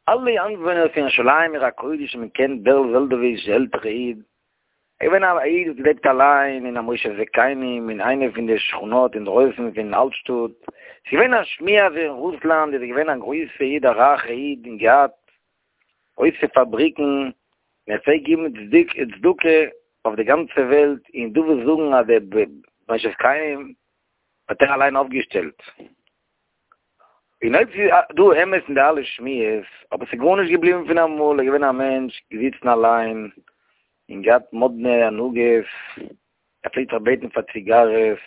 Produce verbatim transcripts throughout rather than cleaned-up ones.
אלע איינוואוינער פון ירושלים עיר הקודש האבן געקענט בערל זעלדאוויטש די עלטערע איד, ער איז געווען א איד וואס געלעבט אליין אין א מושב זקנים אין איינע פון די שכונות אינדרויסן פון אלטשטאט, ס'איז געווען א שמועה אז אין רוסלאנד איז ער געווען א גרויסע איד א רייכע איד און געהאט גרויסע פאבריקן און ער פלעגט געבן צדקה אויף די גאנצע וועלט און דא וואס זאגן אז די מושב זקנים האט ער אליין אויפגעשטעלט. און אויב ס'איז דא אמת אין די אלע שמועות, אבער ס'איז גארנישט געבליבן פון אמאל, ער איז געווען א מענטש געזיצן אליין, און געהאט מאדנע הנהגות, ער פלעגט זיך בעטן פאר ציגארעס,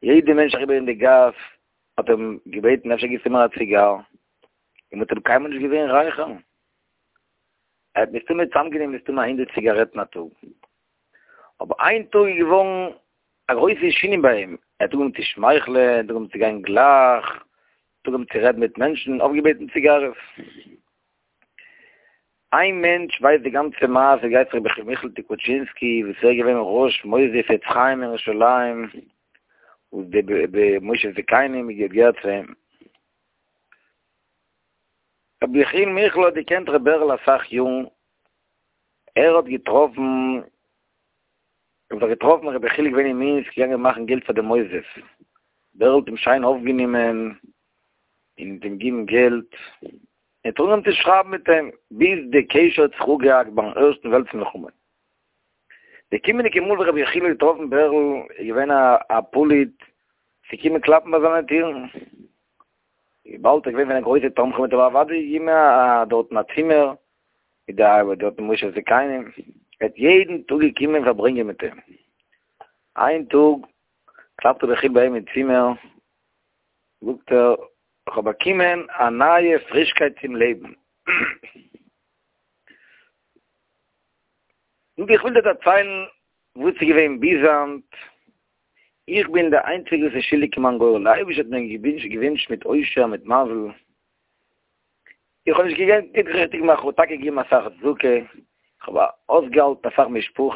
יעדע מענטש אריבער אין די גאס האט אים געבעטן אפשר גיבסטו מיר א ציגאר, און מ'האט אים קיינמאל נישט געזען רייכערן, ער האט מסתמא צוזאמגענומען מסתמא א הונדערט ציגארעטן א טאג, אבער איין טאג איז געווארן א גרויסע שינוי ביי אים, ער האט אנגעהויבן צו שמייכלען, ער האט אנגעהויבן צו גיין גלייך, ער האט אנגעהויבן צו רעדן מיט מענטשן, אויפגעבעטן ציגארעס. איין מענטש ווייסט די גאנצע מעשה, גייט זיך רבי מיכל טיקוטשינסקי, וואס ער איז געווען ראש מוסדות עץ חיים אין ירושלים, וואס די מושב זקנים האט געהערט צו אים. רבי יחיאל מיכל האט געקענט ר' בערל אסאך יארן, ער האט געטראפן האט זיך געטראפן רבי יחיאל איז געווען אין מינסק געגאנגען מאכן געלט פאר די מוסדות, בערל האט אים שיין אויפגענומען און האט אים געגעבן געלט, און האט אנגעהויבן צו שרייבן מיט אים, ביז די קשר האט זיך אפגעהאקט ביים ערשטן וועלטס מלחמה. די קומענדיגע מאל וואס רבי יחיאל האט געטראפן בערל איז געווען א פליט צו קומען קלאפן ביי זיינע טירן, וויבאלד ער איז געווען פון די גרויסע תומכים האט ער אים אוודאי געגעבן א דארטן א צימער, מיט די ארבעט דארט אין מושב זקנים, ער האט יעדן טאג געקומען פארברענגען מיט אים. איין טאג קלאפט רבי יחיאל ביי אים אין צימער, זאגט ער, איך האב באקומען א נייע פרישקייט צום לעבן. זאגט ער, איך וויל דיר דערציילן וואס איז געווען ביז היינט, איך בין דער איינציגער וואס איז שולדיג אין מיין גורל, דער אייבערשטער האט מיר געווינטשן מיט עושר, מיט מזל, איך האב נישט געקענט ריכטיג מאכן, כ'האב טאקע געגעבן אסאך צדקה, איך האב אויסגעהאלטן אסאך משפחות,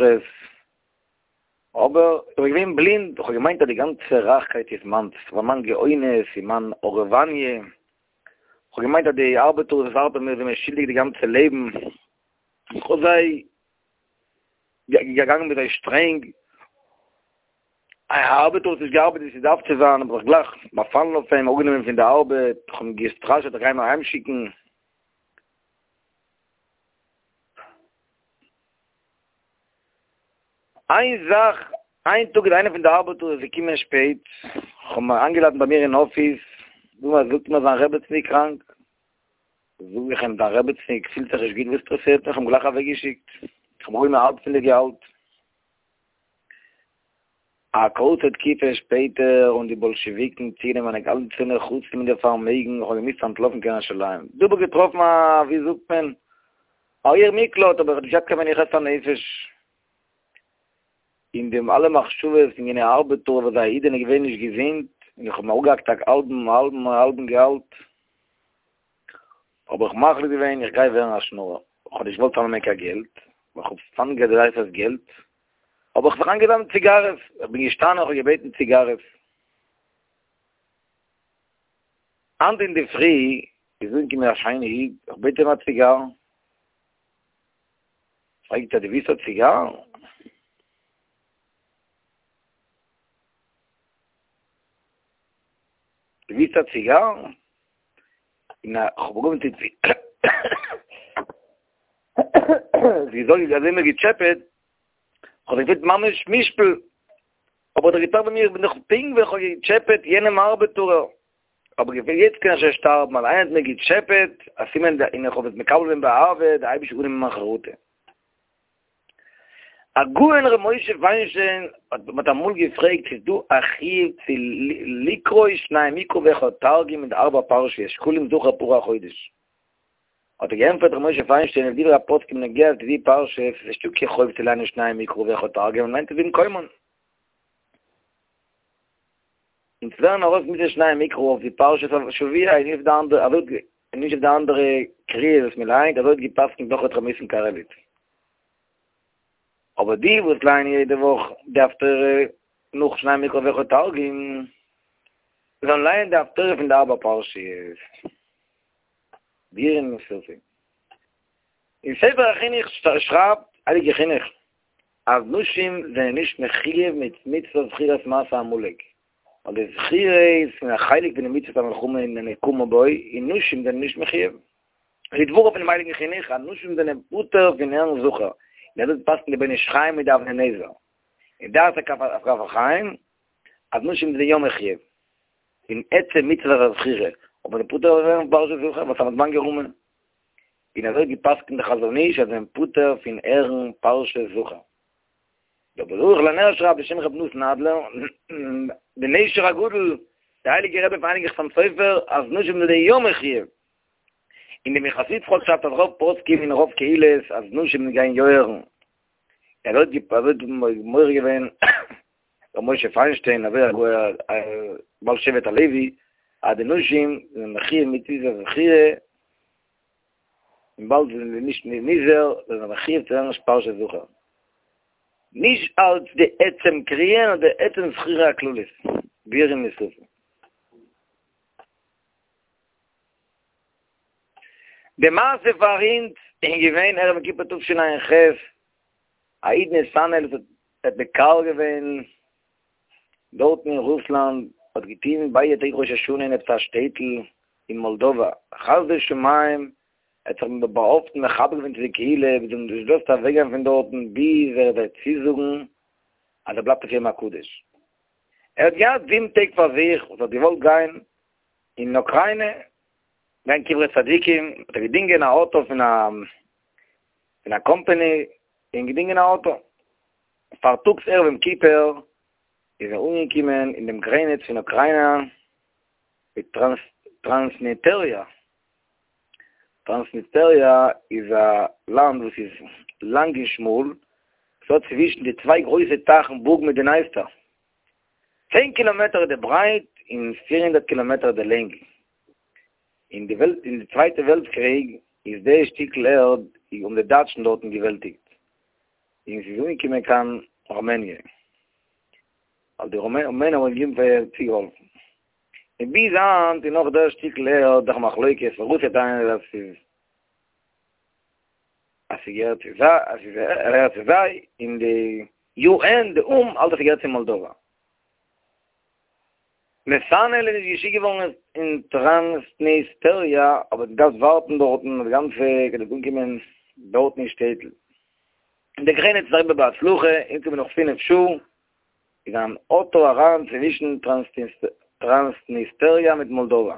אבער איך בין געווען בלינד, איך האב געמיינט אז די גאנצע רייכקייט איז מיינס, ס'איז מיין גאונות און מיין הארעוואניע, איך האב געמיינט אז די ארבעטער וואס ארבעטן מיר זענען מיר שולדיג די גאנצע לעבן, איך האב זיי געגאנגען מיט זיי שטרענג. א ארבעטער האט נישט געארבעט ווי ס'דארף צו זיין, האב איך גלייך באפאלן אויף אים, אראפגענומען פון די ארבעט, איך האב אים געסטראשעט איך גיי אים אהיימשיקן. איין זאך, איין טאג איז איינער פון די ארבעטער געקומען שפעט, איך האב אים איינגעלאדנט ביי מיר אין אפיס, זאגט מיר זיין רעבעצן איז קראנק, זאג איך אים דיין רעבעצן פילט זיך נישט גוט וואס אינטערעסירט מיך, איך האב אים גלייך אוועקגעשיקט, איך האב אראפגענומען האלב פון די געהאלט. א קורצע תקופה שפעטער האבן די באלשעוויקן צוגענומען מיינע גאנצע נכסים און די פארמעגן, איך האב געמוזט אנטלויפן קיין ירושלים. דא האב איך געטראפן א, ווי זאגט מען, א עיר מקלט, אבער איך האב נישט געהאט קיין מנוחת הנפש. און די אלע מחשבות פון יענע ארבעטער וואס א אידענע איז געווען נישט געזונט, און איך האב אים אראפגעהאקט א האלבן האלבן האלבן געהאלט. האב איך מחליט געווען איך גיי ווערן א שנארער, איך האב נישט געוואלט צאמנעמען קיין געלט, ווייל איך האב סתם געדרייט דאס געלט, האב איך זיך איינגעזאמלט ציגארעס, איך בין געשטאנען איך האב געבעטן ציגארעס. היינט אינדערפרי איז אנגעקומען א שיינע איד, איך בעט אים א ציגאר, פרעגט ער דו ווילסט א ציגאר? דו ווילסט א ציגאר? און איך האב אנגעהויבן צו זי זאגט אזוי מיר געטשעפעט, איך האב זיך געפילט ממש מושפל, אבער איך האב געטראכט ביי מיר, איך בין דאך פונקט ווי איך האב געטשעפעט יענעם ארבעטארער, האב איך געפילט יעצט קען איך שוין שטארבן, ווייל איינער האט מיר געטשעפעט, א סימן און איך האב עס מקבל געווען באהבה, דער אייבערשטער האט אנגענומען מיין חרטה. הגאון ר' משה פיינשטיין האט מען אמאל געפרעגט ס'איז דא א חיוב צו לקרוא שנים מקרא ואחד תרגום אין די ארבע פרשיות שקלים זכור פרה החודש האט ער געענטפערט ר' משה פיינשטיין לפי דברי הפוסקים בנוגע צו די פרשה ס'איז נישטא קיין חוב צו ליינען שנים מקרא ואחד תרגום מ'ליינט עס במקומן אונז לערנען ארויס מצות שנים מקרא אויף די פרשת השבוע און נישט אויף די אנדערע אזוי און נישט אויף די אנדערע קריאות וואס מען ליינט אזוי האט געפסקנט נאך ר' ניסן קארעליץ. אבער די וואס לייענען יעדע וואך די הפטורה נאך שנים מקרא ואחד תרגום זאלן לייענען די הפטורה פון די ארבע פרשיות. בירים און שרופים. אין ספר החינוך שרייבט הייליגע חינוך אז נשים זענען נישט מחויב מיט מצוות זכירת מעשה עמלק, ווייל די זכירה איז פון א חלק פון די מצוות המלחמה און הנקמה בו, און נשים זענען נישט מחויב. לדבריו פונעם הייליגן חינוך אז נשים זענען פטור פון הערן זכור, און אזוי פסק'נט די בן איש חי מיט די אבני נזר, און דעת הכף החיים אז נשים זענען יא מחויב אין עצם מצוות הזכירה, אבער זענען פטור פון הערן פרשת זכור וואס האט גערומען. און אזוי האט געפסקנט די חזון איש אז זענען פטור פון הערן פרשת זכור. דער ברוך לנר שרייבט בשם רבי נתן אדלער, די נשר הגדול, די הייליגע רבי פון הייליגן חתם סופר, אז נשים זענען יא מחויב. און די מנחת יצחק שרייבט אז רוב פוסקים און רוב קהילות אז נשים גייען יא הערן. ער האט מורה געווען ר' משה פיינשטיין אזוי א בעל שבט הלוי אז די נשים זענען מחויב מיט די זכירה וויבאלד זיי זענען נישט נזהר זענען זיי מחויב צו הערן פרשת זכור. נישט אלץ די עצם קריאה נאר די עצם זכירה הכללית, ביאורים נוספים. די מעשה פאר אונז איז געווען ערב יום כיפור תשע"ח, א איד נתנאל וואס האט מקהל געווען דארטן אין רוסלאנד, האט געטון ביידע טעג ראש השנה אין עפעס א שטעטל אין מאלדאווא, חסדי שמים ער האט זיך באהאפטן מחבר געווען צו די קהילה, זיי האבן נישט געלאזט אוועקגיין פון דארטן ביז ער וועט צוזאגן אז ער בלייבט אויף יום הקדוש. ער האט געהאט זיבן טעג פאר זיך וואס ער האט געוואלט גיין אין אוקריינע גיין קברי צדיקים, האט ער געדינגען א אוטא פון א פון א קאמפעני און געדינגען א אוטא. פארטאגס ערב יום כיפור איז ער אנגעקומען אין דעם גרעניץ פון אוקריינא מיט טראנסניטעריע. טראנסניסטעריע איז א לאנד וואס איז לאנג און שמאל, עס האט צווישן די צוויי גרויסע טייכן בוג מיט די נייסטער. צען קילאמעטער איז די ברייט און פֿיר הונדערט קילאמעטער די לענג. אין די וועלט אין די צווייטע וועלט קריג איז די שטיקל ערד האבן די דייטשן דארטן געוועלטיגט און ס'איז אנגעקומען קיין ראמעניע ווייל די רומענער האבן געגעבן צוגעהאלפן. און ביז היינט איז נאך דער שטיקל ערד דאך מחלוקת, רוסיא טענה'ט אז ס'איז אז ס'געהערט צו זיי, אז ס'געהערט צו זיי, און די יו ען, די או"ם, האלט אז ס'געהערט צו מאלדאווא. נתנאל איז נישט געשיקט געווארן אין טראנסניסטעריע, אבער האט געדארפט ווארטן דארטן די גאנצע כדי צו אנקומען דארטן אין שטעטל. די גרעניץ איז אריבער בהצלחה, אנגעקומען נאך פינף שעה, איז אן אוטא אריין צווישן טראנסניסטעריע מיט מאלדאווא.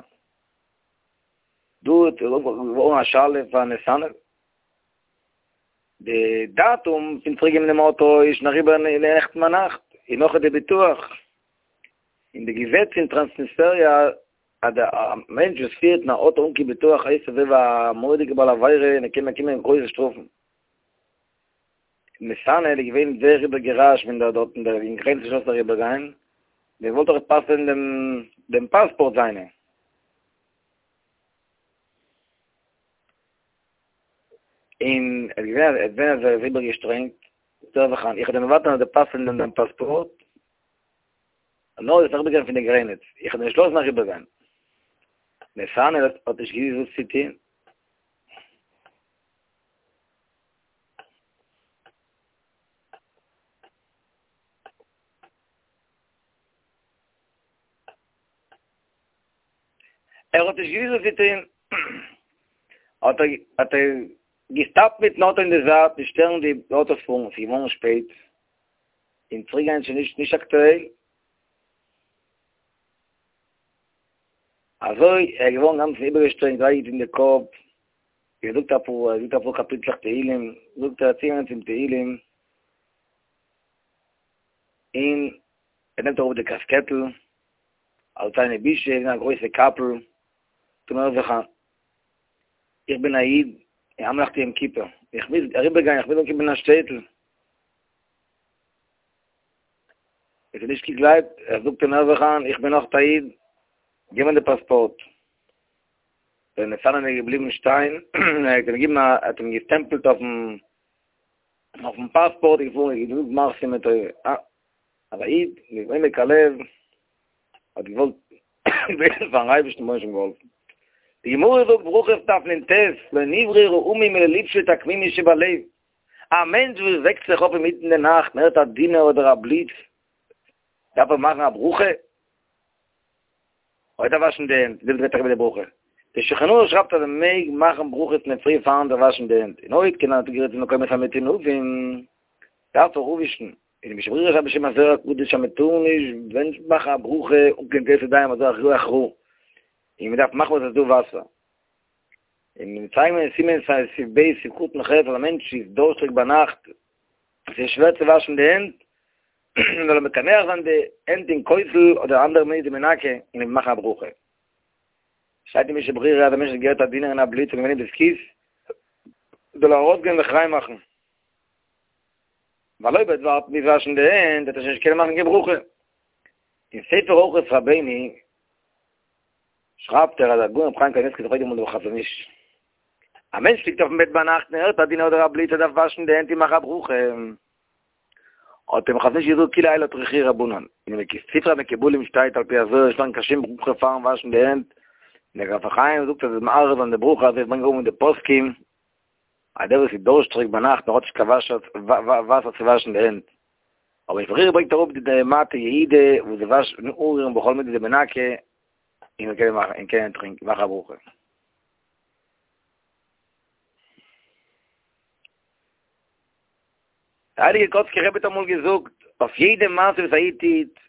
דא איז געווארן א שאלה פאר נתנאל. די דאטום פון צוריקגעבן דעם אוטא איז שוין אריבער נעכטן ביינאכט, און נאך איז די ביטוח. און די געזעץ אין טראנסניסטעריע אז א מענטש וואס פירט אן אוטא אן קיין ביטוח הייסט אזוי ווי א מורא'דיגע בעל עבירה און ער קען באקומען גרויסע שטראפן. נתנאל איז געווען זייער איבערגעראשט ווען דער דארט אין דער אין גרעניץ נישט לאזט אריבער גיין, מען וואלט דאך פסל'ען דעם דעם פאספארט זיינע. און ער איז געווען ער איז געווען אזוי איבערגעשטרענגט, זאגט ער זיך אן, איך וועל דיר מוותר זיין אז די פסל'ען דעם פאספארט, נאר דו זאלסט אריבערגיין פון די גרעניץ, איך וועל דיר נישט לאזן אריבערגיין. נתנאל האט נישט געוואוסט וואס צו טון. ער האט נישט געוואוסט וואס צו טון, האט ער האט ער געסטאפט מיטן אוטו אין די זייט, נישט שטערן די אוטאס פארן, ס'איז געווארן שפעט, און צוריק גיין איז שוין נישט נישט אקטועל. אזוי ער איז געווארן גאנץ איבערגעשטרענגט, וויי געטון די קאפ, געזאגט אפאר, ער זאגט אפאר קאפיטלעך תהילים, זאגט ער צוגעגאנגען צום תהילים, און ער נעמט אראפ די קאסקעטל, אלס איינע בושה, געווען א גרויסע קאפל, טוט מיר זיך אן, איך בין א איד, און היינט נאכט יום כיפור, איך מוז אריבער גיין, איך מוז אנקומען אין א שטעטל. ער האט נישט געגלייבט, ער זאגט אים הער זיך איין, איך בין אויך א איד, גיב מיר די פאספארט. דער נתנאל איז געבליבן שטיין, ער האט אים געגעבן א, ער האט אים געסטעמפלט אויפן אויפן פאספארט, און געפארן, געזאגט גמר חתימה טובה. אה, אז א איד מיט עומק הלב האט געוואלט בעטן פארן אייבערשטן רבונו של עולם געהאלפן. די גמרא זאגט, ברכות דף נ"ט, לא נבראו רעומים אלא לפשוט עקמימות שבלב. א מענטש וואס וועקט זיך אויף אינמיטן די נאכט און הערט א דינער אדער א בליץ, דארף ער מאכן א ברכה? אדער וואשן די הענט, דעמאלט גייט אריבער די ברכה. דער שולחן ערוך שרייבט אז מען מעג מאכן ברכות אינדערפרי פארן זיך וואשן די הענט, און אויב קען ער צוגערעדט צו מקומות המטונפים, דארף ער אפווישן. און די משנה ברורה שרייבט בשם הזוהר הקדוש אז מען טאר נישט ווען מאכן א ברכה אן קיין נטילת ידיים אזוי רוח רעה, און מען דארף מאכן וואס עס איז דא וואסער. און מיר צייגן אין סימן סעיף ב' סעיף קטן ח' אז א מענטש איז דורשטיג ביינאכט, עס איז שווער צו וואשן די הענט, זאל ער מקנח זיין די הענט אין כותל אדער אנדערע מיני די מנקה און מאכן א ברכה. שטייט אין משנה ברורה אז א מענטש האט געהערט א דינער און א בליץ און געווען אין בית הכסא, זאל ער ארויסגיין זיך ריין מאכן. ווייל אויב ער וועט ווארטן ביז וואשן די הענט וועט ער שוין נישט קענען מאכן קיין ברכה. אין ספר אורחות רבינו שרייבט ער אז הגאון רבי חיים קנייבסקי האט געפרעגט אמאל דעם חזון איש, א מענטש ליגט אויפן בעט ביינאכט און הערט א דינער אדער א בליץ ער דארף וואשן די הענט און מאכן א ברכה, האט אים חזון איש געזאגט כולי האי לא טרחוהו רבנן, אין די ספרי המקובלים שטייט על פי הזוהר נישט מאכן קיין שום ברכה פארן וואשן די הענט, און דער כף החיים זאגט אז עס איז מערער זיין די ברכה אזוי ברענגט אראפ אין די פוסקים אז דער וואס איז דורשטריג ביינאכט און האט נישט קיין וואסער צו וואשן די הענט, אבער משנה ברורה ברענגט אראפ די מטה יהודה וואס זיי וואשן אנרירן בכל מידי דמנקה און קענען מאכן און קענען טרינקען מאכן א ברכה. דער הייליגער קאצקער רבי האט אמאל געזאגט, אויף יעדע מעשה וואס א איד טוט,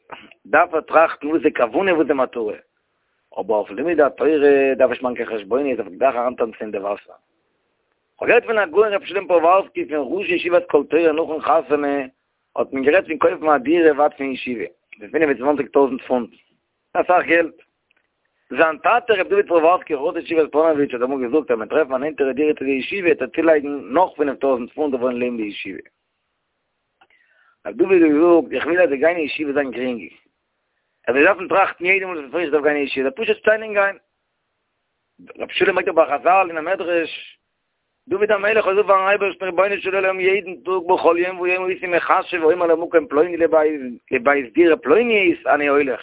דארף ער טראכטן וואס איז די כוונה וואס איז די מטרה, אבער אויף לימוד התורה דארף נישט מאכן קיין חשבונות, דארף גלייך אריינטאנצן אין די וואסער. כ'האב געהערט פון הגאון רבי שלום פרעווארסקי פון ראש ישיבת קול תורה נאכן חתונה האט מען גערעדט פון קויפן א דירה ווייט פון ישיבה, פון פינף און צוואנציג טויזנט פונט, אסאך געלט. זיין טאטע רבי דוד פרעווארסקי ראש ישיבת פאנאוויטש האט אמאל געזאגט אז מ'וועט טרעפן א נענטערע דירה צו די ישיבה וועט ער צולייגן נאך פינף טויזנט פונט אויף וואוינען לעבן די ישיבה. רבי דוד האט געזאגט איך וויל אז די גיין אין ישיבה זיין גרינג. ער זאל נישט דארפן טראכטן יעדע מאל וואס איך דארף גיין אין ישיבה, זאל פשוט שטיין און גיין. רבי שלום ברענגט אראפ א חזל אין א מדרש, דוד המלך האט געזאגט פארן אייבערשטן רבונו של עולם יעדן טאג בכל יום ויום הייתי מחשב ואומר למקום פלוני לבית לבית דירה פלונית אני הולך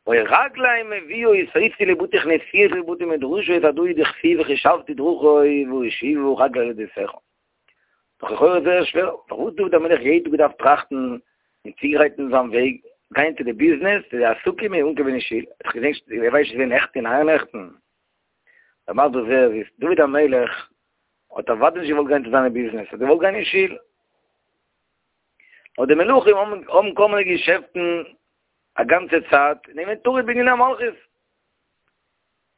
והיו רגלי מביאות אותי לבתי כנסיות לבתי מדרשות הדא הוא דכתיב וחשבתי דרכי ואשיבה רגלי אל ביתך. דאך לכאורה זייער שווער, פארוואס דוד המלך יעדן טאג געדארפט טראכטן און צוגרייטן זיין וועג, גיין צו די ביזנעס, צו די עסקים און אנקומען אין שול, ער האט דאך געזען, ער ווייסט נישט ווען נעכטן און אייערנעכטן. דער מסביר זייער זיס, דוד המלך האט אוודאי נישט געוואלט גיין צו זיינע ביזנעס, ער האט געוואלט גיין אין שול. אבער די מלכים האבן האבן כל מיני געשעפטן א גאנצע צייט, און געווען טרוד בעניני המלכות.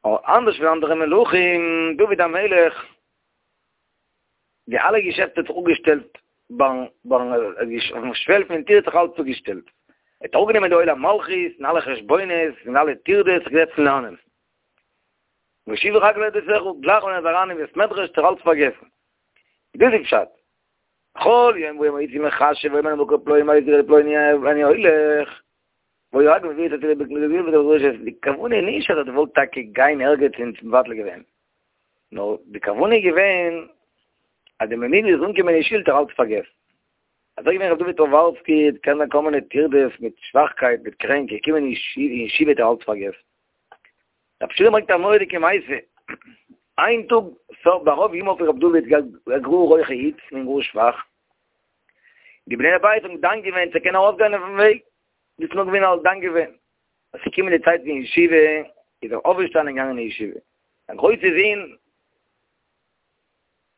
אבער אנדערש פון אנדערע מלכים, דוד המלך, די אלע געשעפטן האט זיך אפגעשטעלט ביים ביים אויפן שוועל פון טיר האט זיך אלץ אפגעשטעלט. ער האט אראפגענומען די עול המלכות און אלע חשבונות און אלע טרדות, זיך געזעצט לערנען. ואשיבה רגלי אל ביתך, גלייך ווען ער איז אריין אין בית מדרש האט ער אלץ פארגעסן. דאס איז פשט. בכל יום ויום הייתי מחשב ואומר למקום פלוני לבית דירה פלוני אני הולך. והיו רגלי מביאות אותי לבית מדרש, די כוונה איז נישט אז ער האט געוואלט טאקע גיין ערגעץ און מבטל געווען. נאר די כוונה איז געווען אז די מינוט איז אנגעקומען אין שול האט ער אלץ פארגעסן. אזוי געווען ר' דוד פרעווארסקי, קען זיין כל מיני טרדות מיט שוואכקייט מיט קרענק, געקומען אין ישיבה האט ער אלץ פארגעסן. רבי שלום ברענגט א מורא'דיגע מעשה, איין טאג ברוב ימיו פון רבי דוד גאר הויכע היץ און גאר שוואך, די בני הבית האבן דן געווען צו ער קען ארויסגיין אויפן וועג, דאס איז נאר געווען אלס דן געווען, אז ס'איז געקומען די צייט פון ישיבה, איז ער אויפגעשטאנען און געגאנגען אין ישיבה. זיין גרויסע זון,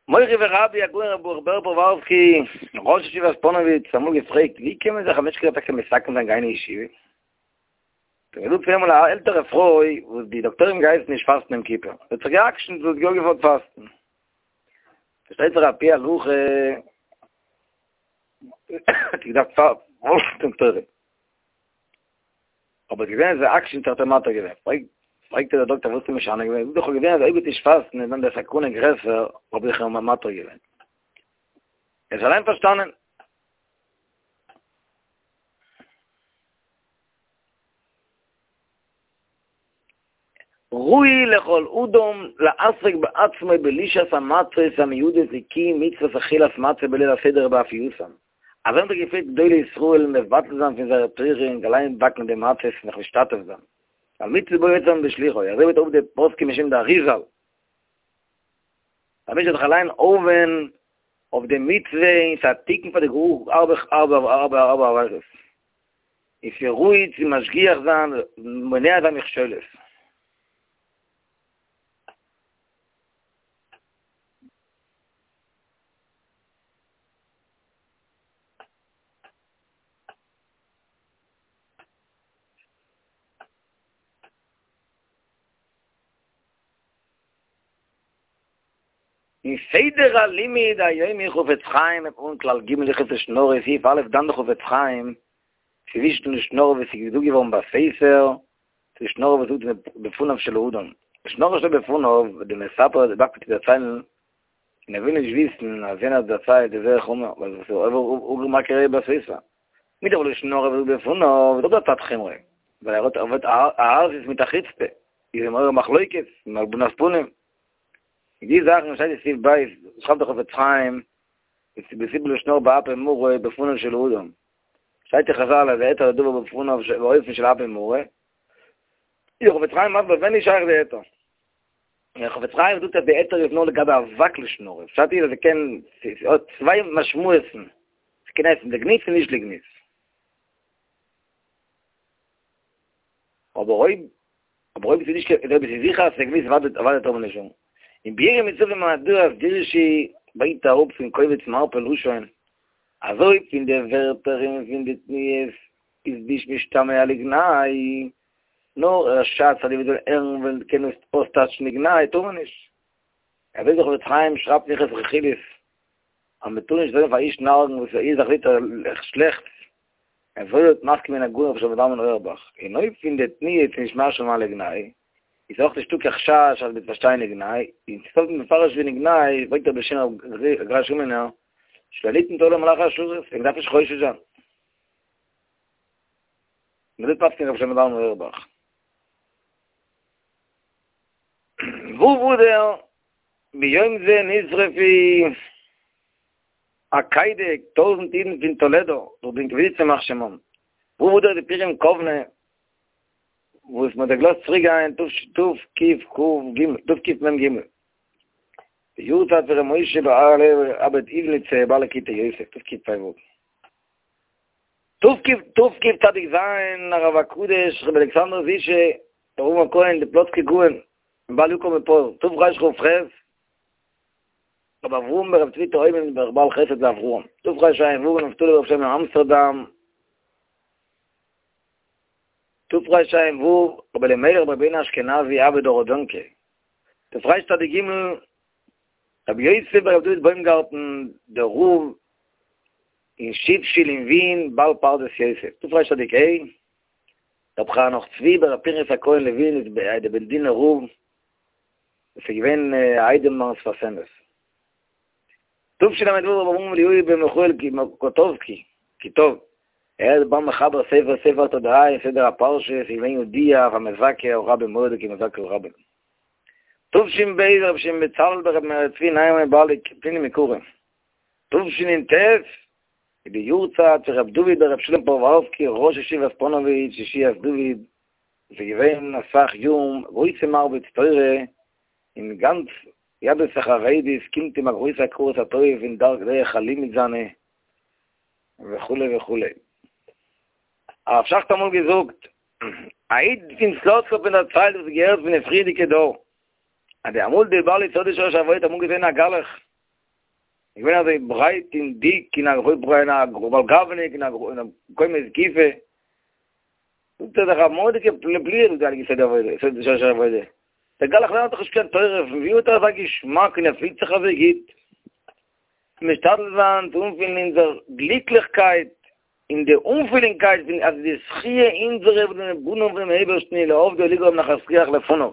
מורי ורבי הגאון רבי ברוך בער פרעווארסקי, ראש ישיבת פאנאוויטש, האט אמאל געפרעגט, ווי קען מען זיך א מענטש קען טאקע מתקן זיין גיין אין ישיבה? האט ער געזאגט ס'איז געווען אמאל א עלטערע פרוי וואס די דאקטוירים געהייסן נישט פאסטן יום כיפור, זי האט זיך גע'עקשנ'ט זי האט יא געוואלט פאסטן. פארשטייט זיך על פי הלכה האט זי געדארפט פאלגן די דאקטוירים. אבער געזען אז זי עקשנ'ט זיך האט ער מתיר געווען. פרעגט איר דער דאקטער וואס האסטו משנה געווען? זאגט זי איך האב געזען אז אויב וועט נישט פאסטן איז דאן די סכנה גרעסער האב איך איר מתיר געווען. ער האט אליין פארשטאנען. ראוי לכל אדם לעסוק בעצמו בלישת המצות המיועדות לקיום מצוות אכילת מצה בליל הסדר ובאפייתן. אזוי האבן זיך געפירט גדולי ישראל מבטל זיין פון זייער תורה און אליין באקן די מצות און זיך משתתף זיין. על מצוה בו יצא בשליחו, אזוי ווערט אויף די פוסקים בשם די אריזל. א מענטש זאל זיך אליין אויפווען אויף די מצוה און ס'איז א תיקון פאר די גאר הארבע הארבע הארבע הארבע עבירות. און ס'איז ראוי צו משגיח זיין מונע זיין מכשולות. אין סדר הלימוד היומי חפץ חיים און כלל ג' הלכות לשון הרע סעיף א' דן די חפץ חיים צווישן לשון הרע וואס איז געזאגט געווארן בסתר צו לשון הרע וואס זאגט בפניו של האדם לשון הרע שלא בפניו די מספר איז מקפיד צו דערציילן און ער וויל נישט וויסן אז יענער האט דערציילט איז זייער חמור ווייל עס איז עובר עובר מה קרה בסתר מיט דער לשון הרע וואס זאגט בפניו איז אויך דא א צד חומרא ווייל ער האט ער ווערט א עזות מיט א חוצפה איז אים מעורר מחלוקת און הלבנת פנים די זאכן שטייט אין סעיף ב' שרייבט דער חפץ חיים בסיפור לשון הרע באפי מרא בפניו של אדם שטייט אין חזל אז היתר הדבר בפניו באופן של אפי מרא איז דער חפץ חיים מסביר ווען איז שייך די היתר דער חפץ חיים זאגט אז די היתר איז נאר לגבי אבק לשון הרע פשט איז אז עס קען ס'האט צוויי משמעות'ן ס'קען הייסן לגנות און נישט לגנות אבער אויב אבער אויב עס איז נישט קיין אויב עס איז זיכער אז עס איז לגנות אוודאי אוודאי טאר מען נישט זאגן. אין ביאור המצוות במהדורת דירשי ברענגט אראפ פון קובץ מרפא לשון אז אויב פון די ווערטער און פון די תנועות איז נישט משתמע לגנאי, נאר א חשש אז די וואס וועלן הערן וועלן קענען עס אויסטייטשן לגנאי טאר מען נישט. אזוי דער חפץ חיים שרייבט אין הלכות רכילות אז מען טאר נישט זאגן פאר איש נארגן וואס ער זאך זעט שלעכטס, אזוי האט מסכים געווען הגאון רבי שלמה זלמן אויערבאך, און אויב פון די תנועות איז נישט משמע לגנאי, איז אויך נישטא קיין חשש אז מ'וועט פארשטיין לגנאי, און ס'פעלט מפרש ווי לגנאי, ברענגט ער בשם הגר"א רימינער, שלא ליתן תורה למלאכי השרת, און מ'דארף נישט חושש זיין. און אזוי פסק'נט רבי שלמה זלמן אויערבאך. ו' אדר ביום זה נשרפו עקידה טויזנט אידן פון טולעדא דורך די אינקוויזיציע ימח שמם ו' אדר די פורים קאוונע וואס מען האט זיי געלאזט צוריק גיין תקכ"ג תקמ"ג די יארצייט פון ר' משה בער אב"ד איוולניצע בעל ליקוטי יוסף תקפ"ו תקצ"ז הרב הקדוש רבי אלכסנדר זישע רב הכהן די פלאצקער גאון בעל יקר מפואר תרכ"ח רבי אברהם ברב צבי תאומים בעל חסד לאברהם, תרע"ו נפתלי ברב שלמה אמסטערדאם, תרע"ו רבי אלימלך ברב בונם אשכנזי אב"ד האראדענקע, תרצ"ג רבי יוסף ברב דוד בוימגארטן דער רב אין שיף-שול אין ווין בעל פרדס יוסף, תרצ"ה רבי חנוך צבי ברב פנחס הכהן לעווין דער בעלדינער רב, עס איז געווען א איידעם ביים שפת אמת. תשל"ו רבי אברהם אליהו בן מיכאל קוטובסקי, קיטוב, ער איז בעל מחבר ספר ספר התודעה און סדר הפרשה, עס איז געווען ידוע אויף א מזכה הרבים מורא'דיגע מזכה הרבים. תש"ב רבי שמעון בצלאל ברבי מאיר צבי ניימאן בעל פנינים יקרים. תשנ"ט איז די יארצייט פון רבי דוד ברבי שלום פארווארסקי ראש ישיבת פאנאוויטש ישועת דוד, עס איז געווען אסאך יארן גרויסע מרביץ תורה אין גאנץ יהדות החרדית קומט אים א גרויסע הכרת הטוב אין דרך הלימוד זיינע וכו' וכו'. הרב שך האט אמאל געזאגט, א איד פון סלוצק האט מיר דערציילט וואס געהערט פון די פריערדיגע דור, אז די אמאל די בעל יסוד ושורש העבודה האט אמאל געזען א גלח, איז געווען אזוי ברייט און דיק און א בעל גאווה'ניק און א קומה זקיפה, זאגט ער דאך א מורא'דיגע פליאה זאגט די הייליגע יסוד העבודה, יסוד ושורש העבודה, דער גלח לערנט דאך נישט קיין תורה, פון ווי האט ער אזא געשמאק און ער פילט זיך אזוי גוט? משתדל זיין צו אנפילן אונזער גליקליכקייט און די אנפילונגקייט פון אז די זכיה אונזערע וואס זענען בנים פונעם אייבערשטן איז לעבדו ולגרום נחת רוח לפניו.